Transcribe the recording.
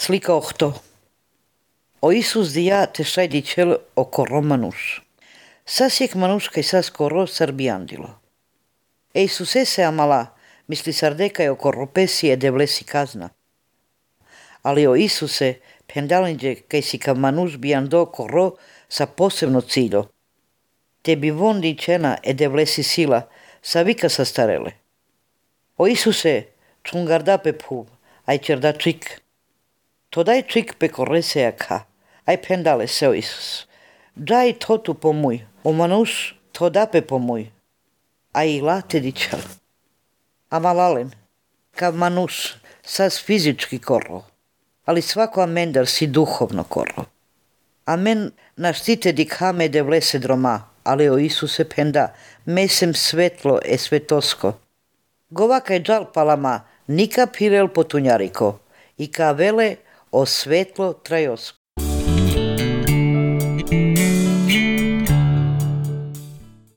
Slika ohto. O Isus dia te sai dicel o corro manus. Sasiek manus kai sas corro sarbiandilo. E Isus ese amala, misli sardekai o corropesi e devlesi kazna. Ali o Isuse pendalinđe kai si ka manus biando corro sa posebno ciljo. Te bi von dicena e devlesi sila sa vika sa starele. O Isuse čungarda pe pub, ai cerda čik. Todaj čik pe korresea ka, ai pendale se o Isus. Dai totu pomuj, o manus todape pomuj. Ai late dičel. Amalalen, ka manus sas fizički korro, ali svako amendar si duhovno korro. Amen naštite dikhame devlese droma, ali o Isuse penda, mesem svetlo e svetosko. Govaka je džal palama, nika pirel potunjariko, i ka vele o svetlo trajosko.